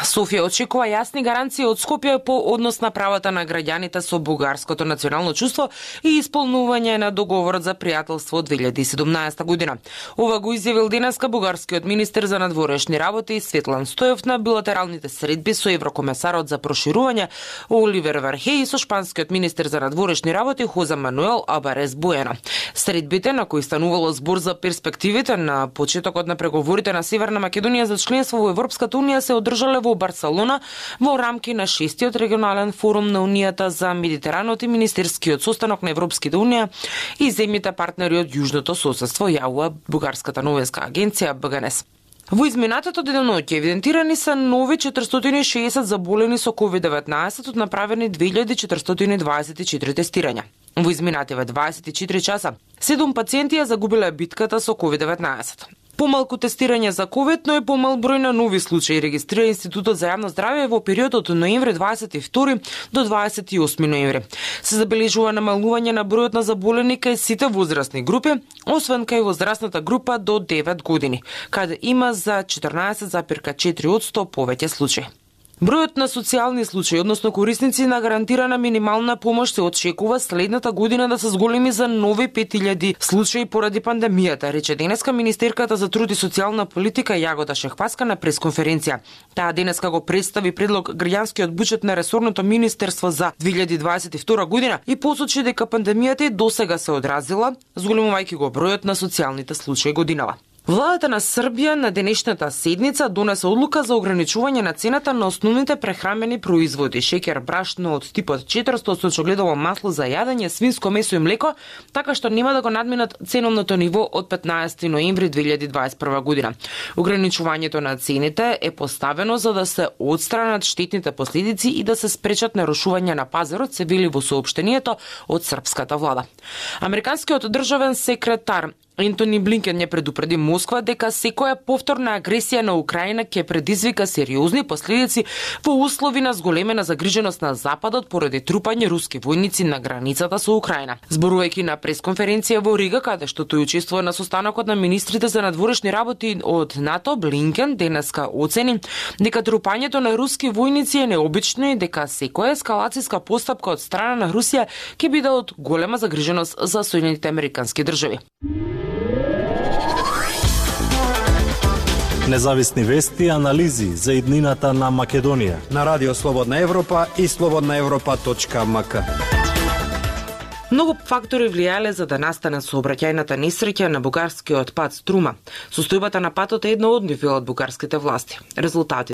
Софија очекува јасни гаранции од Скопје по однос на правата на граѓаните со бугарското национално чувство и исполнување на договорот за пријателство од 2017 година. Ова го изјавил денеска бугарскиот министер за надворешни работи Светлан Стоев на билатералните средби со еврокомесарот за проширување Оливер Вархеј и со шпанскиот министер за надворешни работи Хозе Мануел Абарес Буена. Средбите на кои станувало збор за перспективите на почетокот на преговорите на Северна Македонија за членство во Европската унија се одржале во Барселона во рамки на 6-тиот регионален форум на Унијата за Медитеранот и министерскиот состанок на Европската унија и земјите партнери од Јужното соседство, јавува бугарската новинска агенција БГНС. Во изминатото деноноќе евидентирани се нови 460 заболени со COVID-19 од направени 2424 тестирања. Во изминативе 24 часа 7 пациенти ја загубиле битката со COVID-19. Помалку тестирање за COVID, но и помал број на нови случаи регистрира Институтот за јавно здравје во периодот од ноември 22 до 28 ноември. Се забележува намалување на бројот на заболени кај сите возрастни групи, освен кај возрастната група до 9 години, каде има за 14,4% повеќе случаи. Бројот на социјални случаи, односно корисници на гарантирана минимална помош се очекува следната година да се зголеми за нови 5000 случаи поради пандемијата, рече денеска министерката за труд и социјална политика Јагода Шехпаска на пресконференција. Таа денеска го представи предлог граѓанскиот буџет на ресорното министерство за 2022 година и посочи дека пандемијата и досега се одразила, зголемувајќи го бројот на социјалните случаи годинава. Владата на Србија на денешната седница донесе одлука за ограничување на цената на основните прехрамени производи, шеќер, брашно од типот 400, сончогледово масло за јадење, свинско месо и млеко, така што нема да го надминат ценовното ниво од 15 ноември 2021 година. Ограничувањето на цените е поставено за да се отстранат штетните последици и да се спречат нарушување на пазарот, се вели во соопштението од српската влада. Американскиот државен секретар Ентони Блинкен ја предупреди Москва дека секоја повторна агресија на Украина ќе предизвика сериозни последици во услови на зголемена загриженост на Западот поради трупање руски војници на границата со Украина. Зборувајќи на пресконференција во Рига, каде што тој учествува на состанокот на министрите за надворешни работи од НАТО, Блинкен денеска оцени дека трупањето на руски војници е необично и дека секоја ескалацијска постапка од страна на Русија ќе биде од голема загриженост за Соединетите Американски држави. Независни вести и анализи за иднината на Македонија на Радио Слободна Европа и slobodnaevropa.mk. Многу фактори влијале за да настане сообраќајната несреќа на бугарскиот пат Струма. Состојбата на патот е една од нив велат бугарските власти. Резултати